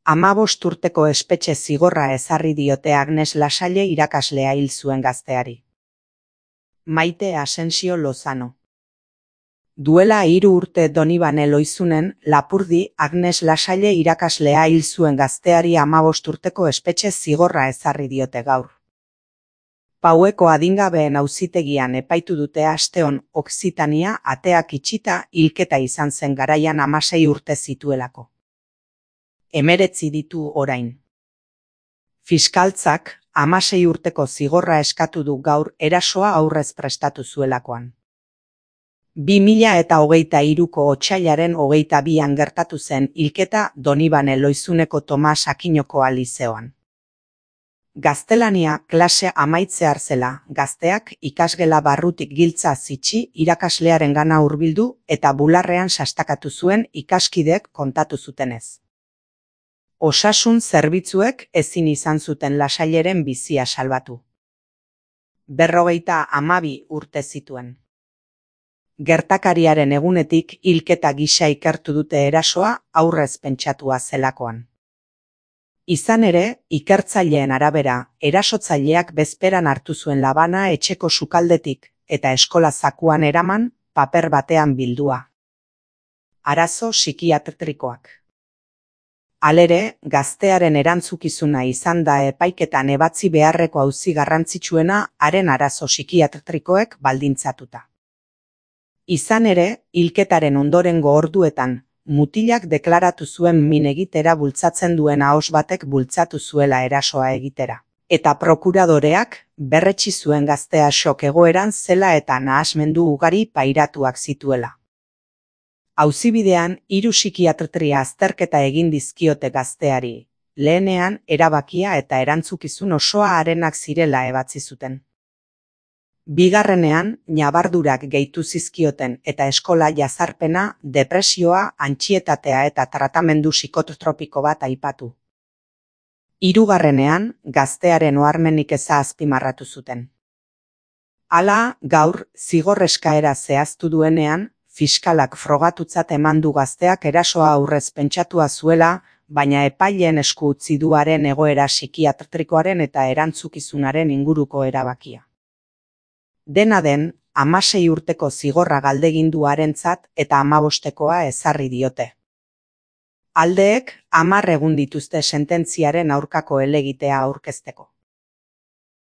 15 urteko espetxe zigorra ezarri diote Agnes Lasalle irakaslea hil zuen gazteari. Maite Asensio Lozano. Duela 3 urte Donibane Loizunen, Lapurdi, Agnes Lasalle irakaslea hil zuen gazteari 15 urteko espetxe zigorra ezarri diote gaur. Paueko adingabeen auzitegian epaitu dute asteon Okzitania ateak itxita hilketa izan zen garaian 16 urte zituelako. 19 ditu orain. Fiskaltzak 16 urteko zigorra eskatu du gaur erasoa aurrez prestatu zuelakoan. 2023ko otsailaren 22an gertatu zen hilketa Donibane Loizuneko Tomas Akinoko lizeoan. Gaztelania klase amaitzear zela, gazteak ikasgela barrutik giltza zitsi irakaslearengana hurbildu eta bularrean sastakatu zuen ikaskidek kontatu zutenez. Osasun zerbitzuek ezin izan zuten Lasalleren bizia salbatu. 52 urte zituen. Gertakariaren egunetik hilketa gisa ikertu dute erasoa aurrez pentsatua zelakoan. Izan ere, ikertzaileen arabera, erasotzaileak bezperan hartu zuen labana etxeko sukaldetik eta eskola zakuan eraman, paper batean bildua. Arazo psikiatrikoak. Halere, gaztearen erantzukizuna izan da epaiketan ebatzi beharreko auzi garrantzitsuena haren arazo psikiatrikoek baldintzatuta. Izan ere, hilketaren ondorengo orduetan, mutilak deklaratu zuen min egitera bultzatzen duen ahos batek bultzatu zuela erasoa egitera. Eta prokuradoreak berretsi zuen gaztea shock egoeran zela eta nahasmendu ugari pairatuak zituela. Auzibidean 3 psikiatria azterketa egin dizkiote gazteari, lehenean erabakia eta erantzukizun osoa harenak zirela ebatzi zuten. Bigarrenean, ñabardurak gehitu zizkioten eta eskola jazarpena, depresioa, antsietatea eta tratamendu psikotropiko bat aipatu. Hirugarrenean, gaztearen oharmenik eza azpimarratu zuten. Hala, gaur, zigor eskaera zehaztu duenean, fiskalak frogatutzat eman du gazteak erasoa aurrez pentsatua zuela, baina epaileen esku utzi du haren egoera psikiatrikoaren eta erantzukizunaren inguruko erabakia. Dena den, 16 urteko zigorra galdegin du harentzat eta 15koa ezarri diote. Aldeek 10 egun dituzte sententziaren aurkako helegitea aurkezteko.